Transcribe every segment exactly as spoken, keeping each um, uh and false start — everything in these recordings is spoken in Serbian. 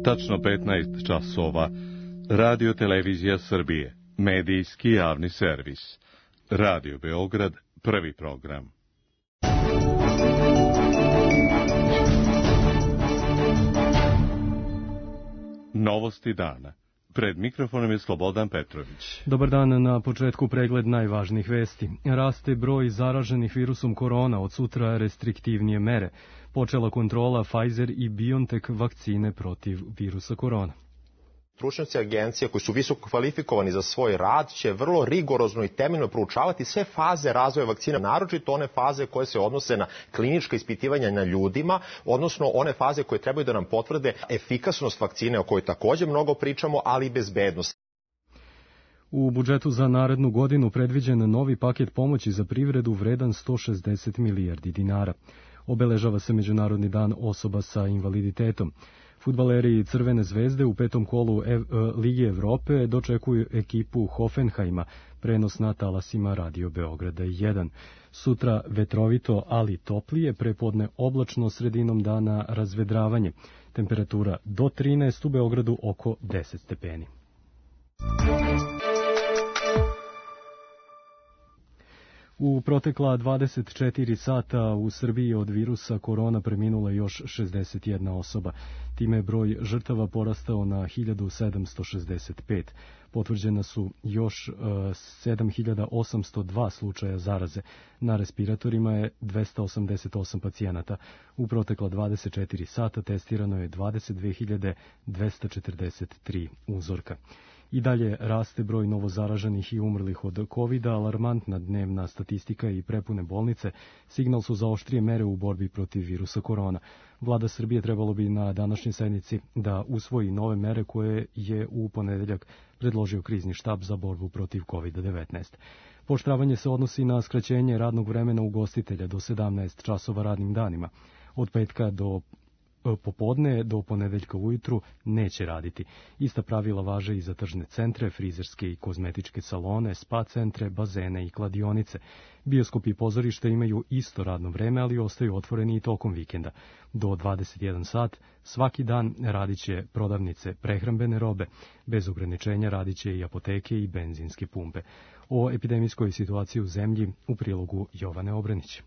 Tačno petnaest časova. Radio Televizija Srbije. Medijski javni servis. Radio Beograd, prvi program. Novosti dana. Pred mikrofonom je Slobodan Petrović. Dobar dan, na početku pregled najvažnijih vesti. Raste broj zaraženih virusom korona, od sutra restriktivnije mere. Počela kontrola Pfizer i BioNTech vakcine protiv virusa korona. Stručnjaci agencije koji su visoko kvalifikovani za svoj rad će vrlo rigorozno i temeljno proučavati sve faze razvoja vakcina, naročito one faze koje se odnose na klinička ispitivanja na ljudima, odnosno one faze koje trebaju da nam potvrde efikasnost vakcine o kojoj također mnogo pričamo, ali i bezbednost. U budžetu za narednu godinu predviđen novi paket pomoći za privredu vredan sto šezdeset milijardi dinara. Obeležava se Međunarodni dan osoba sa invaliditetom. Fudbaleri Crvene zvezde u petom kolu Ev, Lige Evrope dočekuju ekipu Hoffenheima, prenos na talasima Radio Beograda jedan. Sutra vetrovito, ali toplije, prepodne oblačno, sredinom dana razvedravanje. Temperatura do trinaest, u Beogradu oko deset stepeni. U protekla dvadeset četiri sata u Srbiji od virusa korona preminula još šezdeset jedna osoba. Time je broj žrtava porastao na hiljadu sedamsto šezdeset pet. Potvrđena su još uh, sedam hiljada osamsto dva slučaja zaraze. Na respiratorima je dvesta osamdeset osam pacijenata. U protekla dvadeset četiri sata testirano je dvadeset dve hiljade dvesta četrdeset tri uzorka. I dalje raste broj novozaraženih i umrlih od kovida, alarmantna dnevna statistika i prepune bolnice signal su za oštrije mere u borbi protiv virusa korona. Vlada Srbije trebalo bi na današnjoj sednici da usvoji nove mere koje je u ponedeljak predložio krizni štab za borbu protiv kovida devetnaest. Pooštravanje se odnosi na skraćenje radnog vremena ugostitelja do sedamnaest časova radnim danima. Od petka do popodne do ponedeljka ujutru neće raditi. Ista pravila važe i za tržne centre, frizerske i kozmetičke salone, spa centre, bazene i kladionice. Bioskopi i pozorište imaju isto radno vreme, ali ostaju otvoreni i tokom vikenda. Do dvadeset jedan sat svaki dan radit će prodavnice prehrambene robe. Bez ograničenja radit će i apoteke i benzinske pumpe. O epidemijskoj situaciji u zemlji u prilogu Jovane Obranić.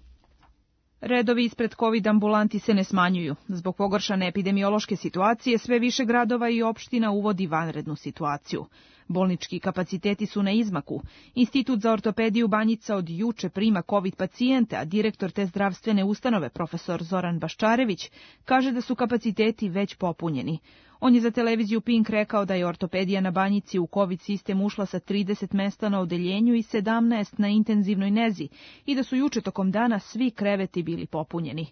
Redovi ispred COVID ambulanti se ne smanjuju. Zbog pogoršane epidemiološke situacije sve više gradova i opština uvodi vanrednu situaciju. Bolnički kapaciteti su na izmaku. Institut za ortopediju Banjica od juče prima COVID pacijente, a direktor te zdravstvene ustanove, profesor Zoran Baščarević, kaže da su kapaciteti već popunjeni. On je za televiziju Pink rekao da je ortopedija na Banjici u COVID sistem ušla sa trideset mesta na odeljenju i sedamnaest na intenzivnoj nezi i da su juče tokom dana svi kreveti bili popunjeni.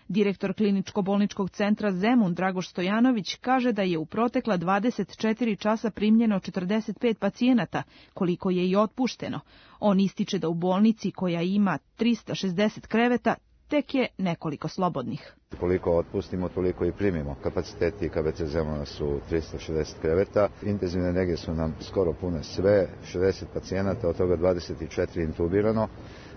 Direktor kliničko-bolničkog centra Zemun Dragoš Stojanović kaže da je u protekla dvadeset četiri časa primljeno četrdeset pet pacijenata, koliko je i otpušteno. On ističe da u bolnici koja ima trista šezdeset kreveta tek je nekoliko slobodnih. Koliko otpustimo, toliko i primimo. Kapaciteti K B C Zemuna su trista šezdeset kreveta, intenzivne nege su nam skoro pune sve, šezdeset pacijenata, od toga dvadeset četiri intubirano,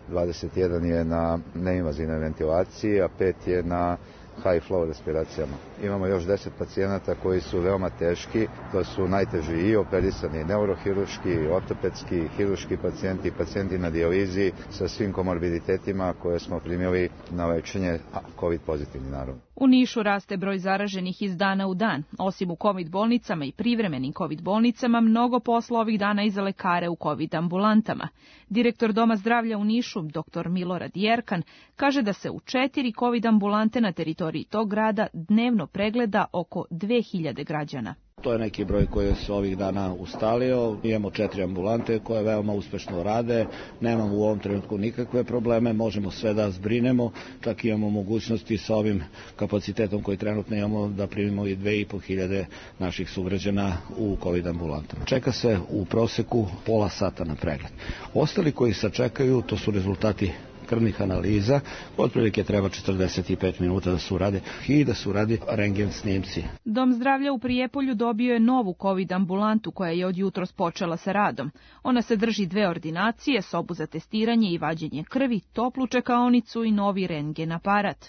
dvadeset jedan je na neinvazivnoj ventilaciji, a pet je na high flow respiracijama. Imamo još deset pacijenata koji su veoma teški, to su najteži i operisani neurohiruški, ortopedski, hiruški pacijenti, pacijenti na dijalizi sa svim komorbiditetima koje smo primili na lečenje, a COVID pozitivni naravno. U Nišu raste broj zaraženih iz dana u dan. Osim u COVID bolnicama i privremenim COVID bolnicama, mnogo posla ovih dana i za lekare u COVID ambulantama. Direktor Doma zdravlja u Nišu, doktor Milorad Jerkan, kaže da se u četiri COVID ambulante na teritoriji tog grada dnevno pregleda oko dve hiljade građana. To je neki broj koji se ovih dana ustalio. Imamo četiri ambulante koje veoma uspešno rade. Nemamo u ovom trenutku nikakve probleme. Možemo sve da zbrinemo. Čak imamo mogućnosti sa ovim kapacitetom koji trenutno imamo da primimo i dve i po hiljade naših sugrađana u COVID ambulantama. Čeka se u proseku pola sata na pregled. Ostali koji sačekaju, to su rezultati krvnih analiza, otprilike treba četrdeset pet minuta da se urade i da se uradi rentgen snimci. Dom zdravlja u Prijepolju dobio je novu COVID ambulantu koja je od jutros počela sa radom. Ona se drži dve ordinacije, sobu za testiranje i vađenje krvi, toplu čekaonicu i novi rentgen aparat.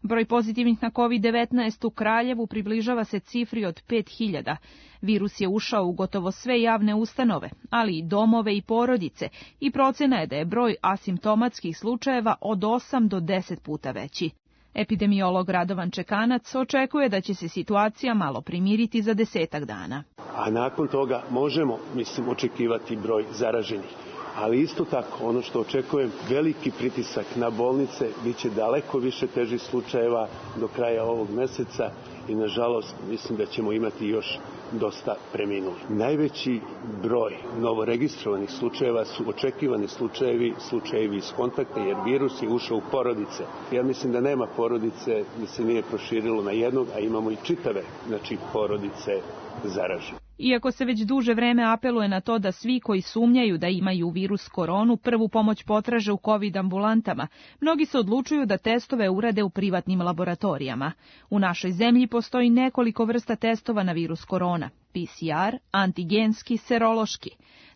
Broj pozitivnih na kovid devetnaest u Kraljevu približava se cifri od pet hiljada. Virus je ušao u gotovo sve javne ustanove, ali i domove i porodice, i procena je da je broj asimptomatskih slučajeva od osam do deset puta veći. Epidemiolog Radovan Čekanac očekuje da će se situacija malo primiriti za desetak dana. A nakon toga možemo, mislim, očekivati broj zaraženih. Ali isto tako, ono što očekujem, veliki pritisak na bolnice, bit će daleko više težih slučajeva do kraja ovog meseca i nažalost mislim da ćemo imati još dosta preminulih. Najveći broj novoregistrovanih slučajeva su očekivani slučajevi, slučajevi iz kontakta, jer virus je ušao u porodice. Ja mislim da nema porodice da se nije proširilo na jednog, a imamo i čitave, znači, porodice zaražene. Iako se već duže vreme apeluje na to da svi koji sumnjaju da imaju virus koronu prvu pomoć potraže u kovid ambulantama, mnogi se odlučuju da testove urade u privatnim laboratorijama. U našoj zemlji postoji nekoliko vrsta testova na virus korona: P C R, antigenski, serološki.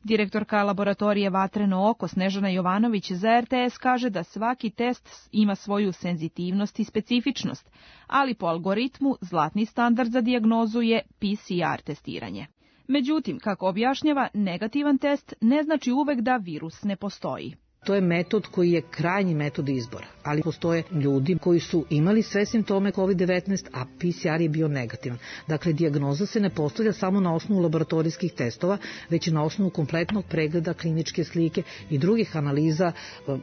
Direktorka laboratorije Vatreno oko Snežana Jovanović za R T S kaže da svaki test ima svoju senzitivnost i specifičnost, ali po algoritmu zlatni standard za dijagnozu je P C R testiranje. Međutim, kako objašnjava, negativan test ne znači uvek da virus ne postoji. To je metod koji je krajnji metod izbora, ali postoje ljudi koji su imali sve simptome kovid devetnaest, a P C R je bio negativan. Dakle, dijagnoza se ne postavlja samo na osnovu laboratorijskih testova, već i na osnovu kompletnog pregleda, kliničke slike i drugih analiza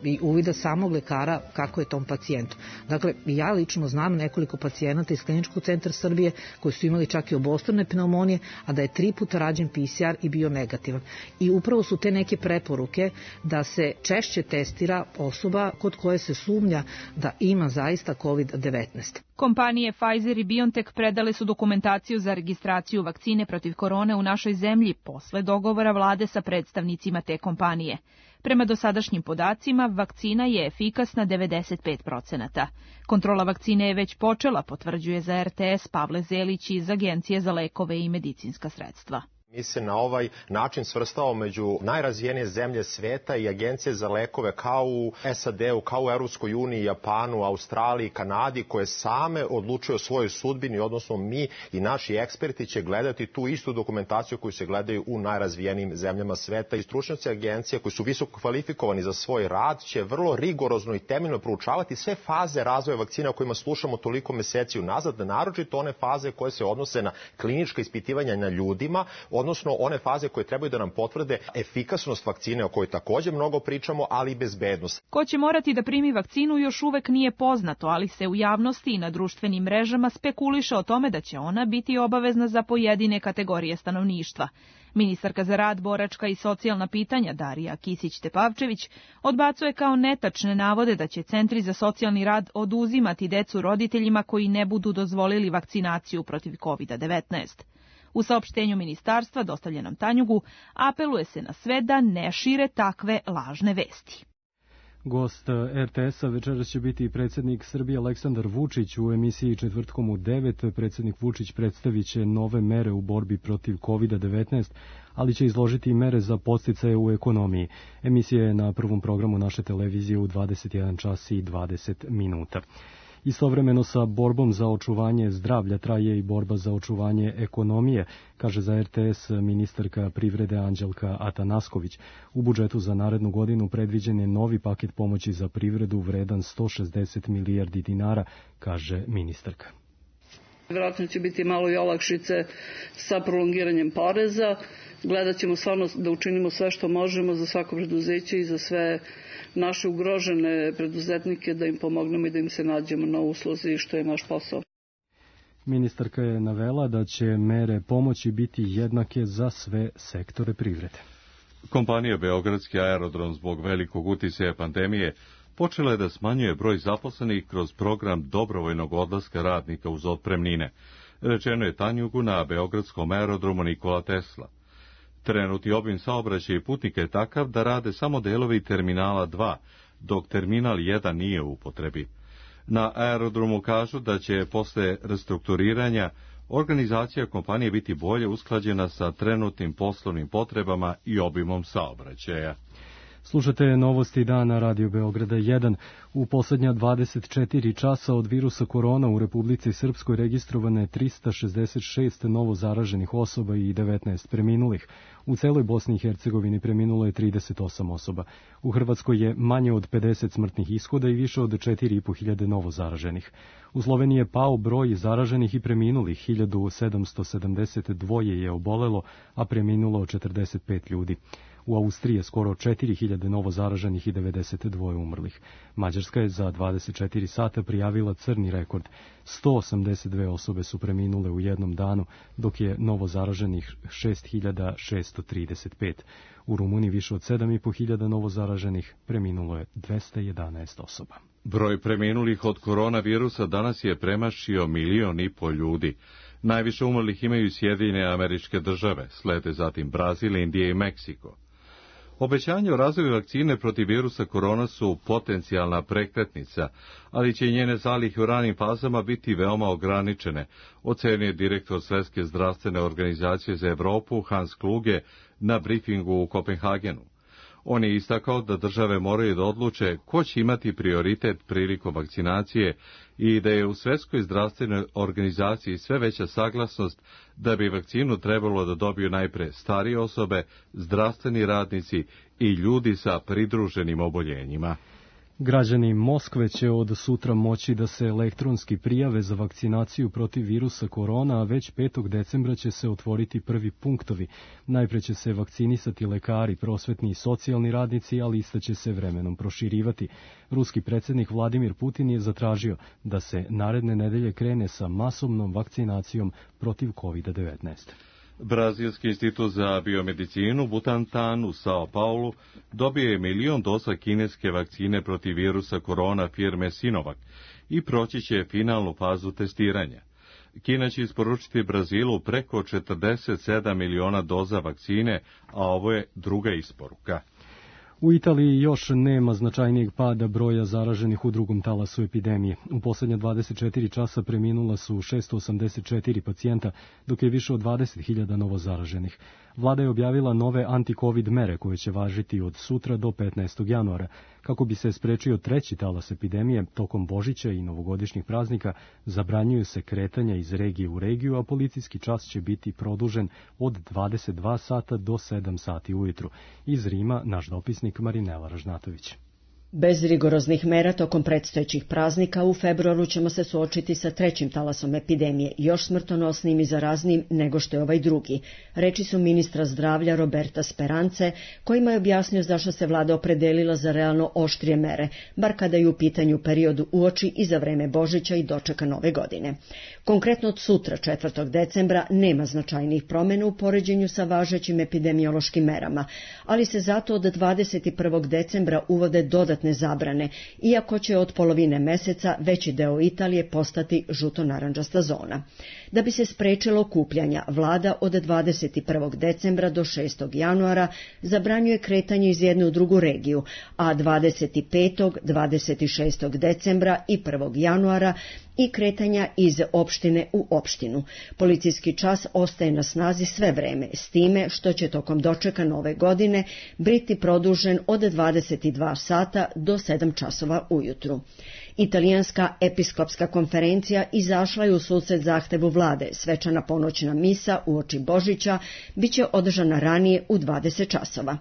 i uvida samog lekara kako je tom pacijentu. Dakle, ja lično znam nekoliko pacijenata iz Kliničkog centra Srbije koji su imali čak i obostrane pneumonije, a da je tri puta rađen P C R i bio negativan. I upravo su te neke preporuke da se češće će testira osoba kod koje se sumnja da ima zaista kovid devetnaest. Kompanije Pfizer i BioNTech predale su dokumentaciju za registraciju vakcine protiv korone u našoj zemlji posle dogovora vlade sa predstavnicima te kompanije. Prema dosadašnjim podacima, vakcina je efikasna devedeset pet procenata. Kontrola vakcine je već počela, potvrđuje za R T S Pavle Zelić iz Agencije za lekove i medicinska sredstva. Mi se na ovaj način svrstavamo među najrazvijenije zemlje sveta i agencije za lekove kao u S A D-u, kao u Europskoj uniji, Japanu, Australiji, Kanadi, koje same odlučuju o svojoj sudbini, odnosno mi i naši eksperti će gledati tu istu dokumentaciju koju se gledaju u najrazvijenijim zemljama sveta i stručnjaci agencije koji su visoko kvalifikovani za svoj rad će vrlo rigorozno i temeljno proučavati sve faze razvoja vakcina o kojima slušamo toliko meseci unazad, naročito one faze koje se odnose na klinička ispitivanja na ljudima, odnosno one faze koje trebaju da nam potvrde efikasnost vakcine o kojoj također mnogo pričamo, ali i bezbednost. Ko će morati da primi vakcinu još uvek nije poznato, ali se u javnosti i na društvenim mrežama spekuliše o tome da će ona biti obavezna za pojedine kategorije stanovništva. Ministarka za rad, boračka i socijalna pitanja Darija Kisić-Tepavčević odbacuje kao netačne navode da će centri za socijalni rad oduzimati decu roditeljima koji ne budu dozvolili vakcinaciju protiv kovid devetnaest. U saopštenju ministarstva, dostavljenom Tanjugu, apeluje se na sve da ne šire takve lažne vesti. Gost R T S-a večeras će biti predsjednik Srbije Aleksandar Vučić. U emisiji Četvrtkom u devet predsjednik Vučić predstavit će nove mere u borbi protiv kovid devetnaest, ali će izložiti i mere za podsticaje u ekonomiji. Emisija je na prvom programu naše televizije u dvadeset jedan čas i dvadeset minuta. Istovremeno sa borbom za očuvanje zdravlja traje i borba za očuvanje ekonomije, kaže za R T S ministarka privrede Anđelka Atanasković. U budžetu za narednu godinu predviđen je novi paket pomoći za privredu vredan sto šezdeset milijardi dinara, kaže ministarka. Vjerojatno će biti malo i olakšice sa prolongiranjem poreza. Gledat ćemo stvarno da učinimo sve što možemo za svako preduzeće i za sve naše ugrožene preduzetnike, da im pomognemo i da im se nađemo na usluzi, što je naš posao. Ministarka je navela da će mere pomoći biti jednake za sve sektore privrede. Kompanija Beogradski aerodrom zbog velikog uticaja pandemije počela je da smanjuje broj zaposlenih kroz program dobrovoljnog odlaska radnika uz otpremnine. Rečeno je Tanjugu na Beogradskom aerodromu Nikola Tesla. Trenutni obim saobraćaja i putnika je takav da rade samo delovi terminala dva, dok terminal jedan nije u upotrebi. Na aerodromu kažu da će posle restrukturiranja organizacija kompanije biti bolje usklađena sa trenutnim poslovnim potrebama i obimom saobraćaja. Slušate novosti dana Radio Beograda jedan. U poslednja dvadeset četiri časa od virusa korona u Republici Srpskoj registrovano je trista šezdeset šest novo zaraženih osoba i devetnaest preminulih. U celoj Bosni i Hercegovini preminulo je trideset osam osoba. U Hrvatskoj je manje od pedeset smrtnih ishoda i više od četiri i po hiljade novo zaraženih. U Sloveniji je pao broj zaraženih i preminulih, hiljadu sedamsto sedamdeset dva je obolelo, a preminulo četrdeset pet ljudi. U Austriji je skoro četiri hiljade novo zaraženih i devedeset dva umrlih. Mađarska je za dvadeset četiri sata prijavila crni rekord. sto osamdeset dve osobe su preminule u jednom danu, dok je novo zaraženih šest hiljada šesto trideset pet. U Rumuniji više od sedam i po hiljada novo zaraženih, preminulo je dvesta jedanaest osoba. Broj preminulih od koronavirusa danas je premašio milion i po ljudi. Najviše umrlih imaju Sjedinjene Američke Države, slede zatim Brazil, Indija i Meksiko. Obećanje o razvoju vakcine protiv virusa korona su potencijalna prekretnica, ali će njene zalihe u ranim fazama biti veoma ograničene, ocenio je direktor Svetske zdravstvene organizacije za Evropu Hans Kluge na brifingu u Kopenhagenu. On je istakao da države moraju da odluče ko će imati prioritet prilikom vakcinacije i da je u Svetskoj zdravstvenoj organizaciji sve veća saglasnost da bi vakcinu trebalo da dobiju najpre starije osobe, zdravstveni radnici i ljudi sa pridruženim oboljenjima. Građani Moskve će od sutra moći da se elektronski prijave za vakcinaciju protiv virusa korona, a već petog decembra će se otvoriti prvi punktovi. Najpre će se vakcinisati lekari, prosvetni i socijalni radnici, a lista će se vremenom proširivati. Ruski predsjednik Vladimir Putin je zatražio da se naredne nedelje krene sa masovnom vakcinacijom protiv kovid devetnaest. Brazilski institut za biomedicinu Butantan u Sao Paulu dobije milion doza kineske vakcine protiv virusa korona firme Sinovac i proći će finalnu fazu testiranja. Kina će isporučiti Brazilu preko četrdeset sedam miliona doza vakcine, a ovo je druga isporuka. U Italiji još nema značajnijeg pada broja zaraženih u drugom talasu epidemije. U posljednja dvadeset četiri časa preminula su šesto osamdeset četiri pacijenta, dok je više od dvadeset hiljada novo zaraženih. Vlada je objavila nove anti-covid mere koje će važiti od sutra do petnaestog januara. Kako bi se sprečio treći talas epidemije, tokom Božića i novogodišnjih praznika zabranjuju se kretanja iz regije u regiju, a policijski čas će biti produžen od dvadeset dva sata do sedam sati ujutru. Iz Rima naš dopisnik Marinela Ražnatović. Bez rigoroznih mera tokom predstojećih praznika u februaru ćemo se suočiti sa trećim talasom epidemije, još smrtonosnim i zaraznijim nego što je ovaj drugi. Reči su ministra zdravlja Roberta Sperance, kojima je objasnio zašto se vlada opredelila za realno oštrije mere, bar kada je u pitanju periodu uoči i za vreme Božića i dočeka nove godine. Konkretno od sutra, četvrtog decembra, nema značajnih promjena u poređenju sa važećim epidemiološkim merama, ali se zato od dvadeset prvog decembra uvode dodatne zabrane, iako će od polovine meseca veći deo Italije postati žuto-narančasta zona. Da bi se sprečilo okupljanja, vlada od dvadeset prvog decembra do šestog januara zabranjuje kretanje iz jedne u drugu regiju, a dvadeset petog, dvadeset šestog decembra i prvog januara i kretanja iz opštine u opštinu. Policijski čas ostaje na snazi sve vreme, s time što će tokom dočeka nove godine biti produžen od dvadeset dva sata do sedam časova ujutru. Italijanska episkopska konferencija izašla je u susret zahtevu vlade. Svečana ponoćna misa uoči Božića biće održana ranije u dvadeset časova.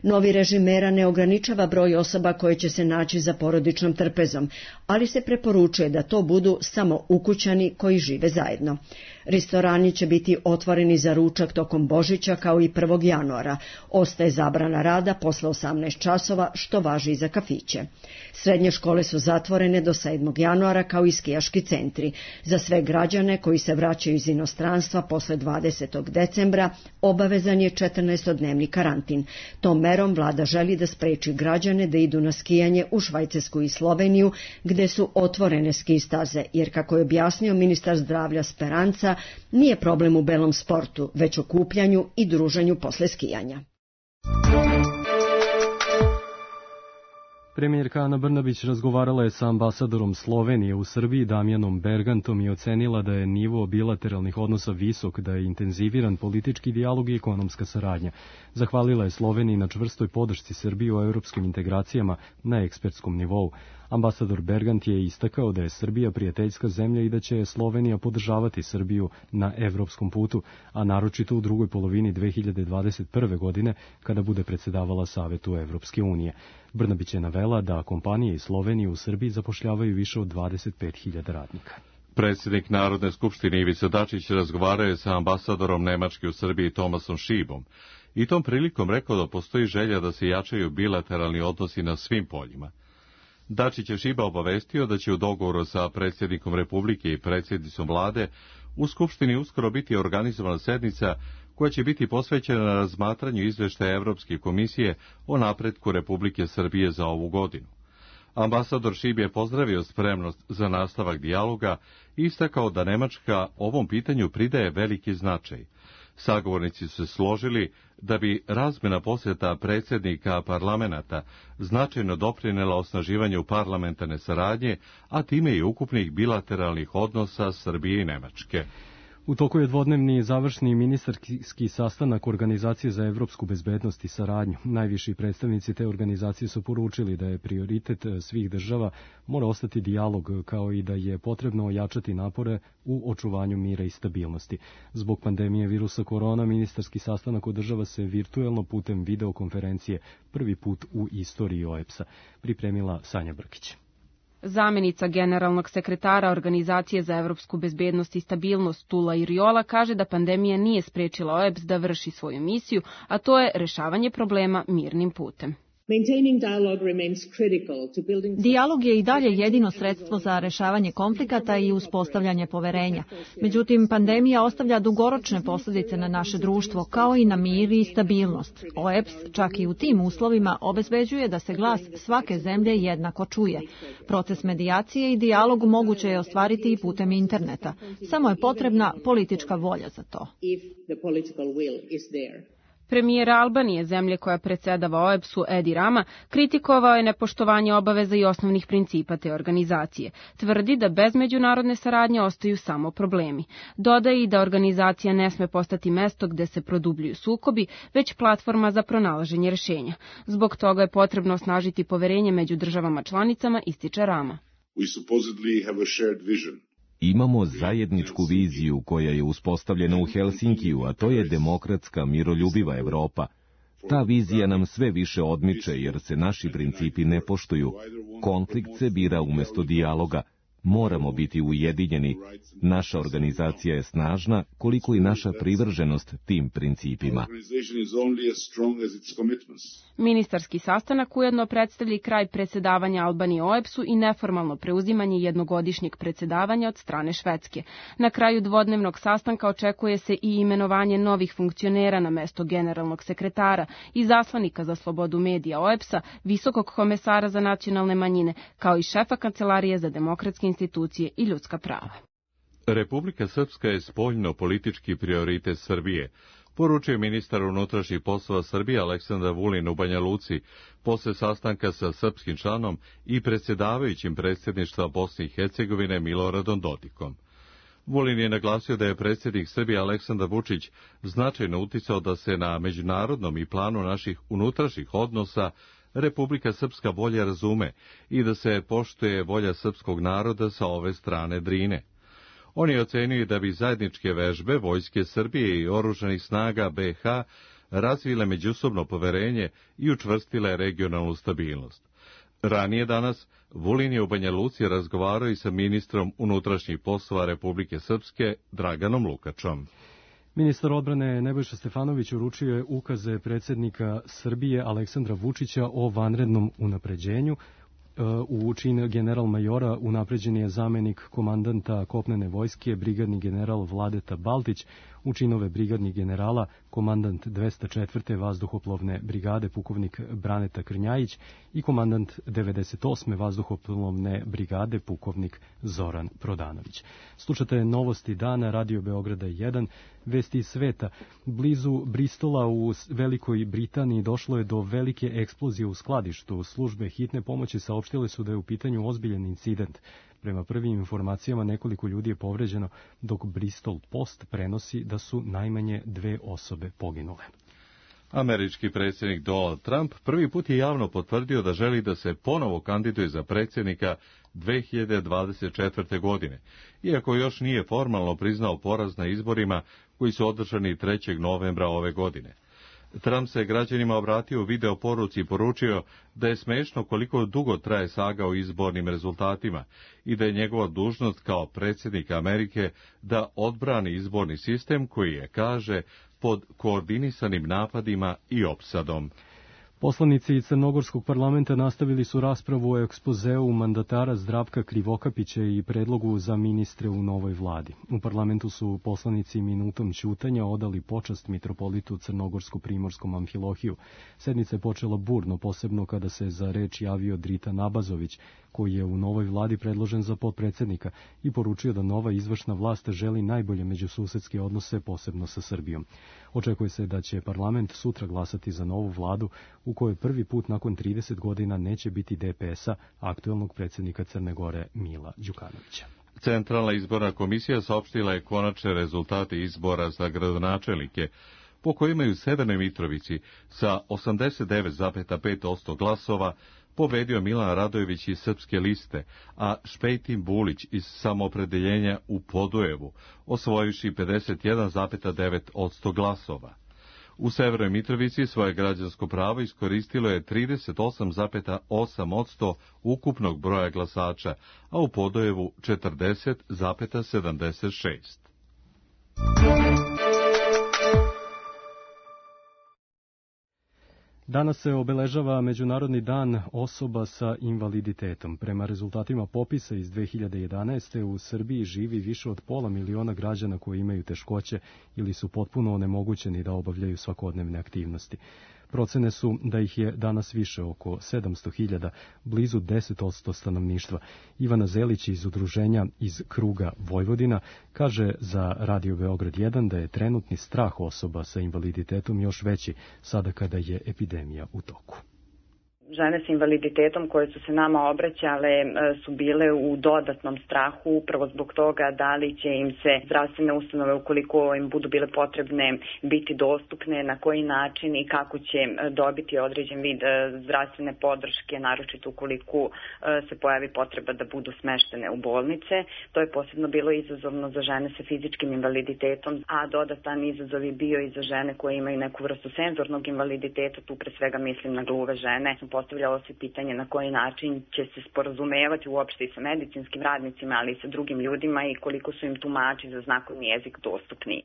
Novi režim mera ne ograničava broj osoba koje će se naći za porodičnom trpezom, ali se preporučuje da to budu samo ukućani koji žive zajedno. Restorani će biti otvoreni za ručak tokom Božića kao i prvog januara. Ostaje zabrana rada posle osamnaest časova, što važi i za kafiće. Srednje škole su zatvorene do sedmog januara kao i skijaški centri. Za sve građane koji se vraćaju iz inostranstva posle dvadesetog decembra obavezan je četrnaestodnevni karantin. Tom merom vlada želi da spreči građane da idu na skijanje u Švajcarsku i Sloveniju, gde su otvorene ski staze, jer kako je objasnio ministar zdravlja Speranca, nije problem u belom sportu, već okupljanju i druženju posle skijanja. Premijerka Ana Brnabić razgovarala je sa ambasadorom Slovenije u Srbiji Damjanom Bergantom i ocenila da je nivo bilateralnih odnosa visok, da je intenziviran politički dijalog i ekonomska saradnja. Zahvalila je Sloveniji na čvrstoj podršci Srbiji u europskim integracijama na ekspertskom nivou. Ambasador Bergant je istakao da je Srbija prijateljska zemlja i da će Slovenija podržavati Srbiju na evropskom putu, a naročito u drugoj polovini dve hiljade dvadeset prve. godine kada bude predsedavala Savetu Evropske unije. Brnabić je navela da kompanije iz Slovenije u Srbiji zapošljavaju više od dvadeset pet hiljada radnika. Predsjednik Narodne skupštine Ivica Dačić razgovarao je sa ambasadorom Nemačke u Srbiji Tomasom Šibom i tom prilikom rekao da postoji želja da se jačaju bilateralni odnosi na svim poljima. Dačić je Šiba obavestio da će u dogovoru sa predsjednikom Republike i predsjednicom vlade u Skupštini uskoro biti organizovana sednica koja će biti posvećena na razmatranju izveštaja Evropske komisije o napretku Republike Srbije za ovu godinu. Ambasador Šib je pozdravio spremnost za nastavak dijaloga i istakao da Nemačka ovom pitanju pridaje veliki značaj. Sagovornici su se složili da bi razmjena posjeta predsjednika parlamenta značajno doprinela osnaživanju parlamentarne saradnje, a time i ukupnih bilateralnih odnosa Srbije i Nemačke. U toku je dvodnevni završni ministarski sastanak Organizacije za evropsku bezbednost i saradnju. Najviši predstavnici te organizacije su poručili da je prioritet svih država mora ostati dijalog, kao i da je potrebno ojačati napore u očuvanju mira i stabilnosti. Zbog pandemije virusa korona, ministarski sastanak održava se virtuelno putem videokonferencije, prvi put u istoriji O E B S-a, pripremila Sanja Brkić. Zamenica generalnog sekretara Organizacije za evropsku bezbednost i stabilnost Tula Iriola kaže da pandemija nije sprečila O E B S da vrši svoju misiju, a to je rešavanje problema mirnim putem. Dijalog je i dalje jedino sredstvo za rešavanje konflikata i uspostavljanje poverenja. Međutim, pandemija ostavlja dugoročne posljedice na naše društvo, kao i na mir i stabilnost. O E B S čak i u tim uslovima obezbeđuje da se glas svake zemlje jednako čuje. Proces medijacije i dijalog moguće je ostvariti i putem interneta. Samo je potrebna politička volja za to. Premijer Albanije, zemlje koja predsjedava O E B S-u Edi Rama, kritikovao je nepoštovanje obaveza i osnovnih principa te organizacije. Tvrdi da bez međunarodne saradnje ostaju samo problemi. Dodaje i da organizacija ne sme postati mesto gde se produbljuju sukobi, već platforma za pronalaženje rešenja. Zbog toga je potrebno osnažiti poverenje među državama članicama, ističe Rama. Imamo zajedničku viziju koja je uspostavljena u Helsinkiju, a to je demokratska, miroljubiva Evropa. Ta vizija nam sve više odmiče jer se naši principi ne poštuju. Konflikt se bira umjesto dijaloga. Moramo biti ujedinjeni. Naša organizacija je snažna, koliko i naša privrženost tim principima. Ministarski sastanak ujedno predstavlja i kraj predsjedavanja Albanije O E B S-u i neformalno preuzimanje jednogodišnjeg predsjedavanja od strane Švedske. Na kraju dvodnevnog sastanka očekuje se i imenovanje novih funkcionera na mesto generalnog sekretara i zaslanika za slobodu medija O E B S-a, visokog komesara za nacionalne manjine, kao i šefa Kancelarije za demokratske institucije i ljudska prava. Republika Srpska je spoljno-politički prioritet Srbije, poručuje ministar unutrašnjih poslova Srbije Aleksandar Vulin u Banja Luci posle sastanka sa srpskim članom i predsjedavajućim predsjedništva Bosne i Hercegovine Miloradom Dodikom. Vulin je naglasio da je predsjednik Srbije Aleksandar Vučić značajno uticao da se na međunarodnom i planu naših unutrašnjih odnosa Republika Srpska bolje razume i da se poštuje volja srpskog naroda sa ove strane Drine. On je ocenio da bi zajedničke vežbe Vojske Srbije i oružanih snaga B iH razvile međusobno poverenje i učvrstile regionalnu stabilnost. Ranije danas Vulin je u Banja Luci razgovarao i sa ministrom unutrašnjih poslova Republike Srpske Draganom Lukačom. Ministar odbrane Nebojša Stefanović uručio je ukaze predsjednika Srbije Aleksandra Vučića o vanrednom unapređenju U čin general majora unapređen je zamenik komandanta kopnene vojske, brigadni general Vladeta Baltić, u činove brigadnih generala komandant dvesta četvrte vazduhoplovne brigade pukovnik Braneta Krnjajić i komandant devedeset osme vazduhoplovne brigade pukovnik Zoran Prodanović. Slušate novosti dana Radio Beograda jedan, vesti iz sveta. Blizu Bristola u Velikoj Britaniji došlo je do velike eksplozije u skladištu. Službe hitne pomoći saopštile su da je u pitanju ozbiljan incident. Prema prvim informacijama nekoliko ljudi je povređeno, dok Bristol Post prenosi da su najmanje dve osobe poginule. Američki predsjednik Donald Trump prvi put je javno potvrdio da želi da se ponovo kandiduje za predsjednika dve hiljade dvadeset četvrte. godine, iako još nije formalno priznao poraz na izborima koji su održani trećeg novembra ove godine. Trump se građanima obratio u video poruci i poručio da je smešno koliko dugo traje saga o izbornim rezultatima i da je njegova dužnost kao predsjednika Amerike da odbrani izborni sistem koji je, kaže, pod koordinisanim napadima i opsadom. Poslanici Crnogorskog parlamenta nastavili su raspravu o ekspozeu mandatara Zdravka Krivokapića i predlogu za ministre u novoj vladi. U parlamentu su poslanici minutom ćutanja odali počast mitropolitu Crnogorsko-primorskom Amfilohiju. Sednica je počela burno, posebno kada se za reč javio Drita Nabazović, koji je u novoj vladi predložen za potpredsjednika i poručio da nova izvršna vlast želi najbolje međususedske odnose, posebno sa Srbijom. Očekuje se da će parlament sutra glasati za novu vladu u kojoj prvi put nakon trideset godina neće biti D P S-a, aktuelnog predsjednika Crne Gore Mila Đukanovića. Centralna izborna komisija saopštila je konačne rezultate izbora za gradonačelnike, po kojima je u Severnoj Mitrovici sa osamdeset devet zarez pet posto glasova pobedio Milan Radojević iz Srpske liste, a Špejtin Bulić iz Samoopredeljenja u Podujevu, osvojivši pedeset jedan zarez devet posto glasova. U Severnoj Mitrovici svoje građansko pravo iskoristilo je trideset osam zarez osam posto ukupnog broja glasača, a u Podujevu četrdeset zarez sedamdeset šest. Danas se obeležava Međunarodni dan osoba sa invaliditetom. Prema rezultatima popisa iz dve hiljade jedanaeste. u Srbiji živi više od pola miliona građana koji imaju teškoće ili su potpuno onemogućeni da obavljaju svakodnevne aktivnosti. Procene su da ih je danas više, oko sedamsto hiljada, blizu deset posto stanovništva. Ivana Zelić iz udruženja iz kruga Vojvodina kaže za Radio Beograd jedan da je trenutni strah osoba sa invaliditetom još veći sada kada je epidemija u toku. Žene sa invaliditetom koje su se nama obraćale su bile u dodatnom strahu upravo zbog toga da li će im se zdravstvene ustanove, ukoliko im budu bile potrebne, biti dostupne, na koji način i kako će dobiti određen vid zdravstvene podrške, naročito ukoliko se pojavi potreba da budu smeštene u bolnice. To je posebno bilo izazovno za žene sa fizičkim invaliditetom, a dodatan izazov je bio i za žene koje imaju neku vrstu senzornog invaliditeta, tu pre svega mislim na gluve žene. Postavljalo se pitanje na koji način će se sporazumevati uopšte i sa medicinskim radnicima, ali i sa drugim ljudima i koliko su im tumači za znakovni jezik dostupni.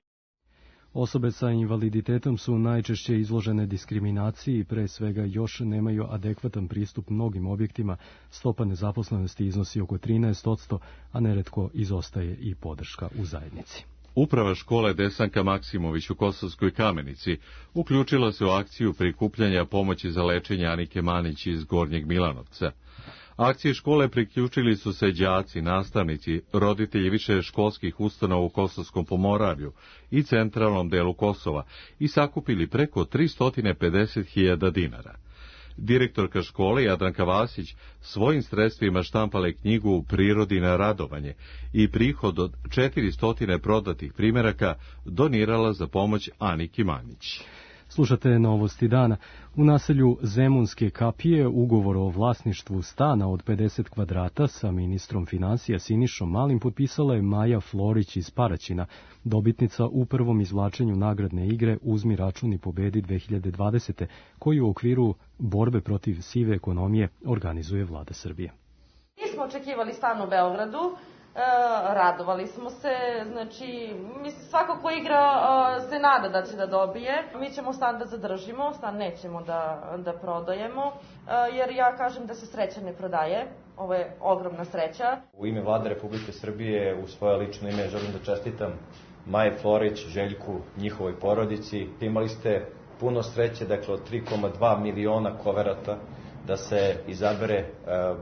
Osobe sa invaliditetom su najčešće izložene diskriminaciji i pre svega još nemaju adekvatan pristup mnogim objektima. Stopa nezaposlenosti iznosi oko trinaest posto, a neretko izostaje i podrška u zajednici. Uprava škole Desanka Maksimović u Kosovskoj Kamenici uključila se u akciju prikupljanja pomoći za lečenje Anike Manić iz Gornjeg Milanovca. Akcije škole priključili su se đaci, nastavnici, roditelji više školskih ustanova u Kosovskom Pomoravlju i centralnom delu Kosova i sakupili preko tristo pedeset hiljada dinara. Direktorka škole Jadranka Vasić svojim sredstvima štampala je knjigu Prirodi na radovanje i prihod od četiristo prodatih primjeraka donirala za pomoć Aniki Manić. Slušate novosti dana. U naselju Zemunske kapije ugovor o vlasništvu stana od pedeset kvadrata sa ministrom financija Sinišom Malim potpisala je Maja Florić iz Paraćina, dobitnica u prvom izvlačenju nagradne igre Uzmi račun i pobedi dve hiljade dvadesete. koju u okviru borbe protiv sive ekonomije organizuje Vlada Srbije. Nismo očekivali stan u Beogradu, radovali smo se, znači, mislim, svako ko igra uh, se nada da će da dobije. Mi ćemo stan da zadržimo, stan nećemo da, da prodajemo, uh, jer ja kažem da se sreća ne prodaje. Ovo je ogromna sreća. U ime Vlade Republike Srbije, u svoje lično ime, želim da čestitam Maji Florić, Željku, njihovoj porodici. Imali ste puno sreće, dakle, od tri zarez dva miliona koverata da se izabere e,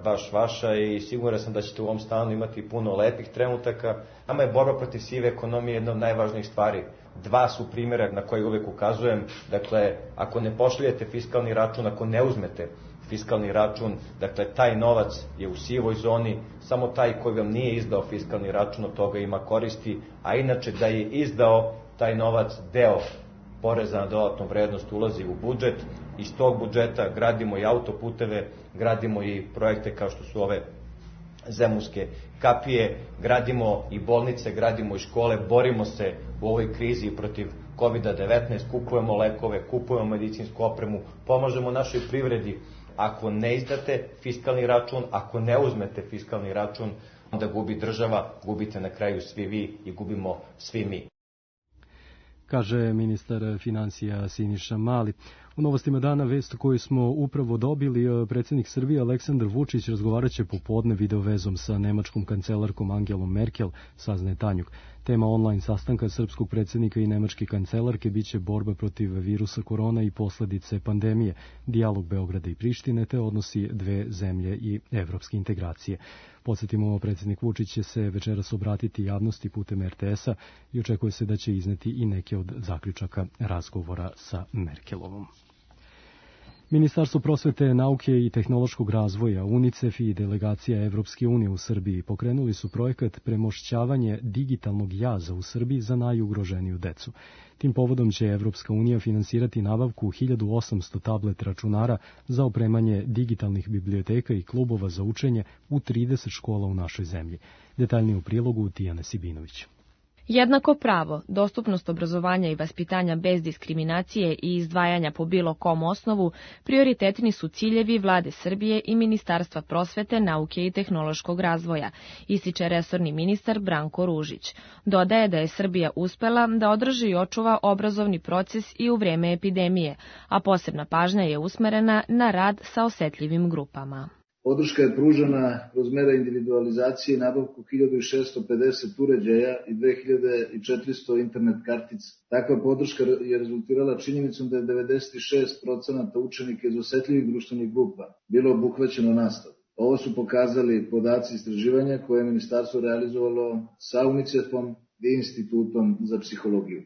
baš vaša i siguran sam da ćete u ovom stanu imati puno lepih trenutaka. Nama je borba protiv sive ekonomije jedna od najvažnijih stvari. Dva su primjera na koje uvek ukazujem. Dakle, ako ne pošaljete fiskalni račun, ako ne uzmete fiskalni račun, dakle, taj novac je u sivoj zoni, samo taj koji vam nije izdao fiskalni račun od toga ima koristi, a inače da je izdao taj novac, deo poreza na dodatnu vrednost ulazi u budžet. Iz tog budžeta gradimo i autoputeve, gradimo i projekte kao što su ove zemunske kapije, gradimo i bolnice, gradimo i škole, borimo se u ovoj krizi protiv kovid devetnaest, kupujemo lekove, kupujemo medicinsku opremu, pomažemo našoj privredi. Ako ne izdate fiskalni račun, ako ne uzmete fiskalni račun, onda gubi država, gubite na kraju svi vi i gubimo svi mi. Kaže ministar financija Siniša Mali. U novostima dana vest koju smo upravo dobili, predsjednik Srbije Aleksandar Vučić razgovarat će popodne videovezom sa nemačkom kancelarkom Angelom Merkel, saznaje Tanjug. Tema online sastanka srpskog predsjednika i nemačke kancelarke biće borba protiv virusa korona i posljedice pandemije, dijalog Beograda i Prištine te odnosi dve zemlje i evropske integracije. Podsjetimo, predsjednik Vučić će se večeras obratiti javnosti putem er te esa i očekuje se da će izneti i neke od zaključaka razgovora sa Merkelovom. Ministarstvo prosvete, nauke i tehnološkog razvoja, UNICEF i delegacija Evropske unije u Srbiji pokrenuli su projekat premošćavanje digitalnog jaza u Srbiji za najugroženiju decu. Tim povodom će Evropska unija finansirati nabavku hiljadu osamsto tablet računara za opremanje digitalnih biblioteka i klubova za učenje u trideset škola u našoj zemlji. Detaljnije u prilogu Tijana Sibinović. Jednako pravo, dostupnost obrazovanja i vaspitanja bez diskriminacije i izdvajanja po bilo kom osnovu prioritetni su ciljevi Vlade Srbije i Ministarstva prosvete, nauke i tehnološkog razvoja, ističe resorni ministar Branko Ružić. Dodaje da je Srbija uspela da održi i očuva obrazovni proces i u vreme epidemije, a posebna pažnja je usmerena na rad sa osetljivim grupama. Podrška je pružena kroz mere individualizacije i nabavku hiljadu šesto pedeset uređaja i dve hiljade četiristo internet kartica. Takva podrška je rezultirala činjenicom da je devedeset šest procenata učenika iz osetljivih društvenih grupa bilo obuhvaćeno nastavom. Ovo su pokazali podaci istraživanja koje je ministarstvo realizovalo sa UNICEF-om i Institutom za psihologiju.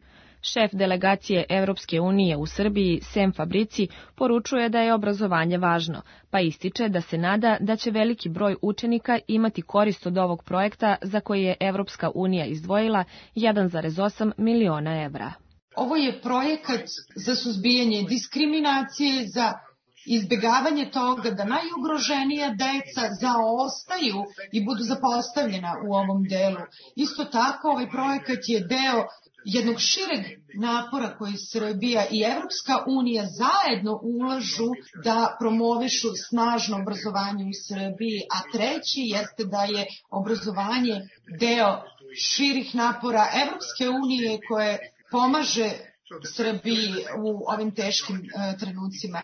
Šef delegacije Evropske unije u Srbiji, Sem Fabrici, poručuje da je obrazovanje važno, pa ističe da se nada da će veliki broj učenika imati korist od ovog projekta za koji je Evropska unija izdvojila jedan zarez osam miliona evra. Ovo je projekat za suzbijanje diskriminacije, za izbjegavanje toga da najugroženija deca zaostaju i budu zapostavljena u ovom delu. Isto tako, ovaj projekat je deo jednog šireg napora koji Srbija i Evropska unija zajedno ulažu da promovišu snažno obrazovanje u Srbiji, a treći jeste da je obrazovanje deo širih napora Evropske unije koje pomaže Srbiji u ovim teškim uh, trenucima.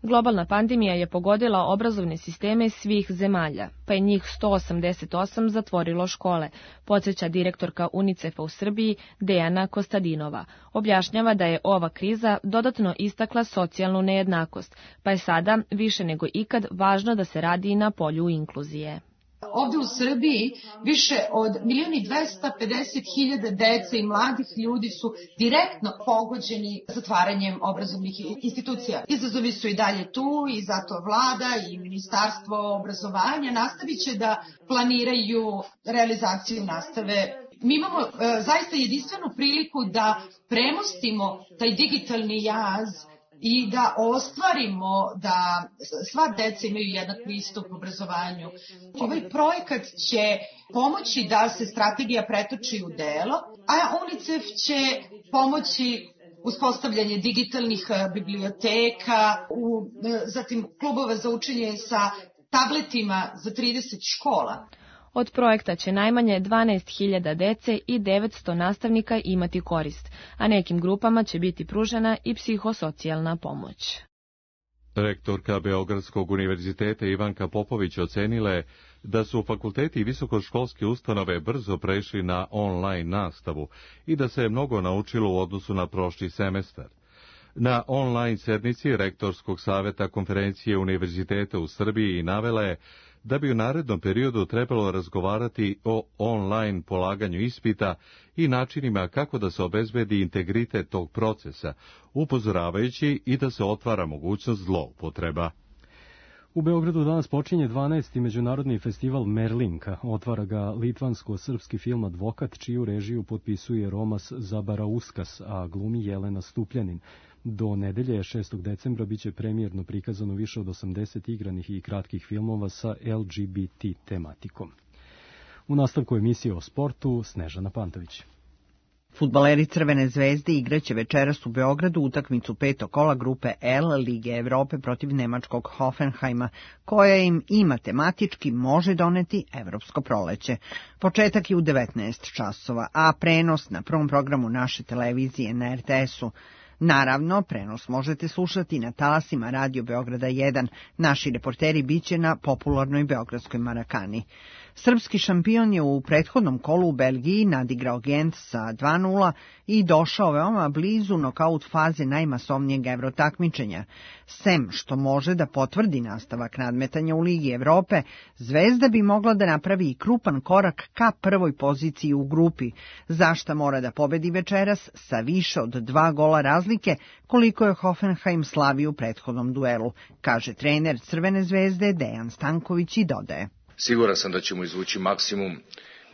Globalna pandemija je pogodila obrazovne sisteme svih zemalja, pa je njih sto osamdeset osam zatvorilo škole, podsjeća direktorka UNICEF-a u Srbiji Dejana Kostadinova. Objašnjava da je ova kriza dodatno istakla socijalnu nejednakost, pa je sada više nego ikad važno da se radi na polju inkluzije. Ovde u Srbiji više od milion i dvesta pedeset hiljada dece i mladih ljudi su direktno pogođeni zatvaranjem obrazovnih institucija. Izazovi su i dalje tu i zato vlada i Ministarstvo obrazovanja nastavit će da planiraju realizaciju nastave. Mi imamo e, zaista jedinstvenu priliku da premostimo taj digitalni jaz i da ostvarimo da sva deca imaju jednak pristup obrazovanju. Ovaj projekat će pomoći da se strategija pretoči u delo, a UNICEF će pomoći uspostavljanje digitalnih biblioteka, u, zatim klubova za učenje sa tabletima za trideset škola. Od projekta će najmanje dvanaest hiljada dece i devetsto nastavnika imati korist, a nekim grupama će biti pružena i psihosocijalna pomoć. Rektorka Beogradskog univerziteta Ivanka Popović ocenila je da su fakulteti i visokoškolske ustanove brzo prešli na online nastavu i da se je mnogo naučilo u odnosu na prošli semestar. Na online sednici Rektorskog saveta konferencije univerziteta u Srbiji navela je da bi u narednom periodu trebalo razgovarati o online polaganju ispita i načinima kako da se obezbedi integritet tog procesa, upozoravajući i da se otvara mogućnost zloupotreba. U Beogradu danas počinje dvanaesti međunarodni festival Merlinka. Otvara ga litvansko-srpski film Advokat, čiju režiju potpisuje Romas Zabarauskas, a glumi Jelena Stupljanin. Do nedelje šestog decembra biće premijerno prikazano više od osamdeset igranih i kratkih filmova sa L G B T tematikom. U nastavku emisije o sportu Snežana Pantović. Fudbaleri Crvene zvezde igraće večeras u Beogradu utakmicu petog kola grupe L Lige Evrope protiv nemačkog Hoffenheima, koja im i matematički može doneti evropsko proleće. Početak je u devetnaest časova, a prenos na prvom programu naše televizije na R T S-u. Naravno, prenos možete slušati na talasima Radio Beograda jedan. Naši reporteri biće na popularnoj beogradskoj Marakani. Srpski šampion je u prethodnom kolu u Belgiji nadigrao Gent sa dva nula i došao veoma blizu nokaut faze najmasovnijeg evrotakmičenja. Sem što može da potvrdi nastavak nadmetanja u Ligi Evrope, Zvezda bi mogla da napravi i krupan korak ka prvoj poziciji u grupi, za šta mora da pobedi večeras sa više od dva gola razlike, koliko je Hoffenheim slavio u prethodnom duelu, kaže trener Crvene zvezde Dejan Stanković i dodaje. Siguran sam da ćemo izvući maksimum,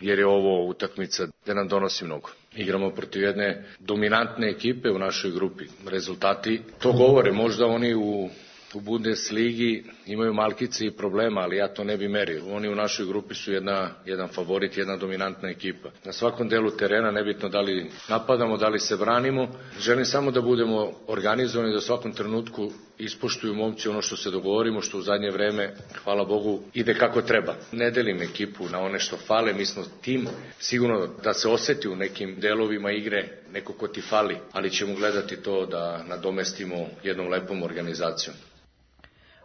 jer je ovo utakmica da nam donosi mnogo. Igramo protiv jedne dominantne ekipe u našoj grupi. Rezultati to govore, možda oni u, u Bundesligi imaju malkice i problema, ali ja to ne bi merio. Oni u našoj grupi su jedna, jedan favorit, jedna dominantna ekipa. Na svakom delu terena, nebitno da li napadamo, da li se branimo, želim samo da budemo organizovani, da u svakom trenutku ispoštuju momci ono što se dogovorimo, što u zadnje vreme, hvala Bogu, ide kako treba. Ne delim ekipu na one što fale, mi smo tim, sigurno da se oseti u nekim delovima igre neko ko ti fali, ali ćemo gledati to da nadomestimo jednom lepom organizacijom.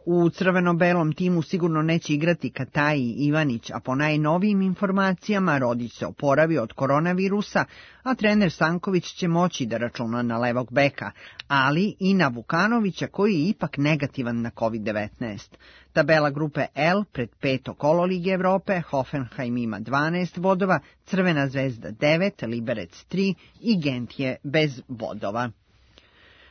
U crveno-belom timu sigurno neće igrati Kataji Ivanić, a po najnovijim informacijama Rodić se oporavio od koronavirusa, a trener Stanković će moći da računa na levog beka, ali i na Vukanovića koji je ipak negativan na kovid devetnaest. Tabela grupe L pred peto kolo Lige Evrope, Hoffenheim ima dvanaest bodova, Crvena zvezda devet, Liberec tri i Gent je bez bodova.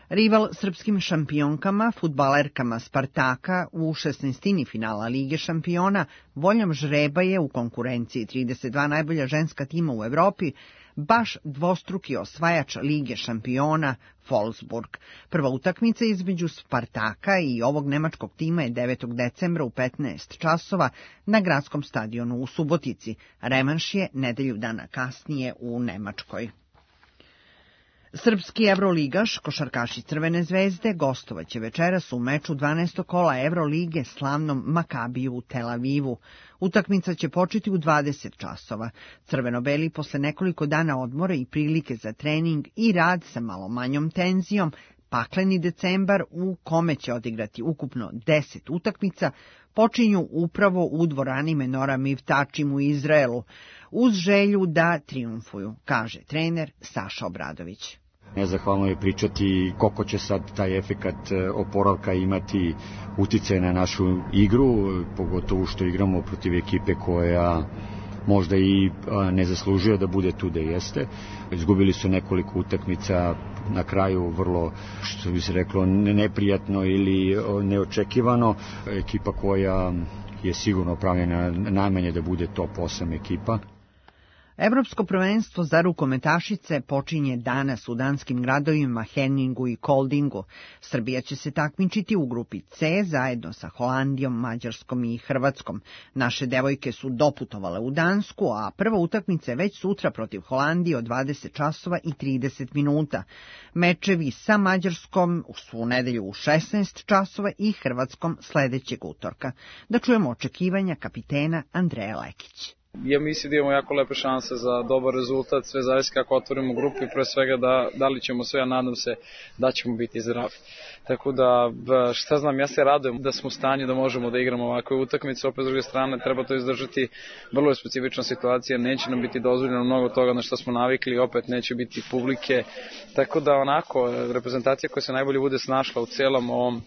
Rival srpskim šampionkama, fudbalerkama Spartaka u šesnaestini finala Lige šampiona, voljom žreba je u konkurenciji trideset dva najbolja ženska tima u Evropi, baš dvostruki osvajač Lige šampiona Wolfsburg. Prva utakmica između Spartaka i ovog nemačkog tima je devetog decembra u petnaest časova na gradskom stadionu u Subotici. Revanš je nedelju dana kasnije u Nemačkoj. Srpski evroligaš, košarkaši Crvene zvezde, gostovaće večeras u meču dvanaestog kola Evrolige slavnom Makabiju u Tel Avivu. Utakmica će početi u dvadeset časova. Crveno-beli posle nekoliko dana odmora i prilike za trening i rad sa malo manjom tenzijom, pakleni decembar u kome će odigrati ukupno deset utakmica, počinju upravo u dvorani Menora Mivtačim u Izraelu, uz želju da triumfuju, kaže trener Saša Obradović. Nezahvalno je pričati koliko će sad taj efekat oporavka imati uticaj na našu igru, pogotovo što igramo protiv ekipe koja možda i ne zaslužuje da bude tu da jeste. Izgubili su nekoliko utakmica na kraju vrlo, što bi se reklo, neprijatno ili neočekivano. Ekipa koja je sigurno pravljena najmanje da bude top osam ekipa. Evropsko prvenstvo za rukometašice počinje danas u danskim gradovima Henningu i Koldingu. Srbija će se takmičiti u grupi C zajedno sa Holandijom, Mađarskom i Hrvatskom. Naše devojke su doputovale u Dansku, a prva utakmica je već sutra protiv Holandije od dvadeset časova i trideset minuta. Mečevi sa Mađarskom su u nedelju u šesnaest časova i Hrvatskom sledećeg utorka. Da čujemo očekivanja kapitena Andreja Lekić. Ja mislim da imamo jako lepe šanse za dobar rezultat, sve zavisi kako otvorimo grupu i pre svega da, da li ćemo sve, ja nadam se da ćemo biti zdravi. Tako da, šta znam, ja se radujem da smo u stanju da možemo da igramo ovakve utakmice, opet s druge strane treba to izdržati, vrlo je specifična situacija, neće nam biti dozvoljeno mnogo toga na što smo navikli, opet neće biti publike, tako da onako, reprezentacija koja se najbolje bude snašla u celom ovom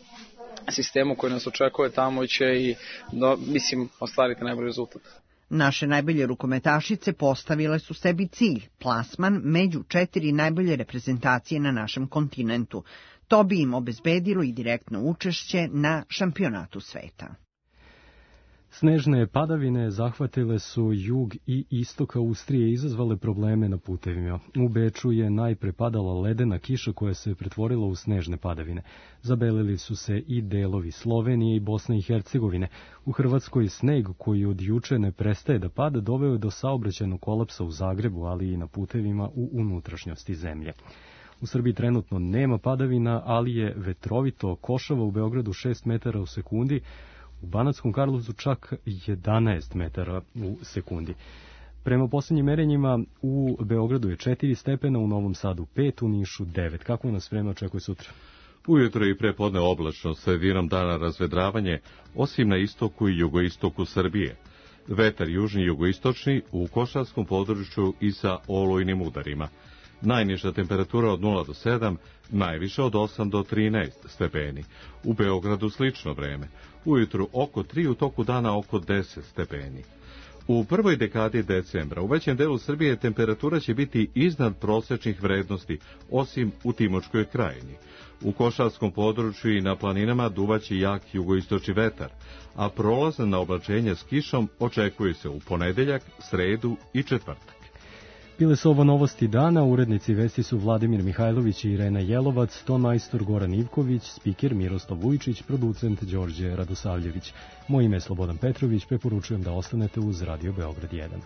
sistemu koji nas očekuje tamo će i, do, mislim, ostvariti najbolji rezultat. Naše najbolje rukometašice postavile su sebi cilj, plasman među četiri najbolje reprezentacije na našem kontinentu. To bi im obezbedilo i direktno učešće na šampionatu sveta. Snežne padavine zahvatile su jug i istok Austrije i izazvale probleme na putevima. U Beču je najpre padala ledena kiša koja se pretvorila u snežne padavine. Zabelili su se i delovi Slovenije i Bosne i Hercegovine. U Hrvatskoj sneg koji od juče ne prestaje da pada doveo je do saobraćajnog kolapsa u Zagrebu, ali i na putevima u unutrašnjosti zemlje. U Srbiji trenutno nema padavina, ali je vetrovito, košava u Beogradu šest metara u sekundi, u Banatskom Karlovcu čak jedanaest metara u sekundi. Prema posljednjim merenjima u Beogradu je četiri stepena, u Novom Sadu pet, u Nišu devet. Kako nas vreme očekuje sutra? Ujutro i prepodne oblačno, sredinom dana razvedravanje, osim na istoku i jugoistoku Srbije. Vetar južni i jugoistočni u košarskom području i sa olujnim udarima. Najniža temperatura od nula do sedam, najviše od osam do trinaest stepeni. U Beogradu slično vreme. Ujutru oko tri, u toku dana oko deset stepeni. U prvoj dekadi decembra u većem delu Srbije temperatura će biti iznad prosečnih vrednosti, osim u Timočkoj krajini. U košarskom području i na planinama duvaće jak jugoistočni vetar, a prolazna oblačenja s kišom očekuje se u ponedeljak, sredu i četvrtak. Bile su ovo novosti dana, urednici vesti su Vladimir Mihajlović i Irena Jelovac, ton majstor Goran Ivković, spiker Miroslav Vujčić, producent Đorđe Radosavljević. Moje ime je Slobodan Petrović, preporučujem da ostanete uz Radio Beograd jedan.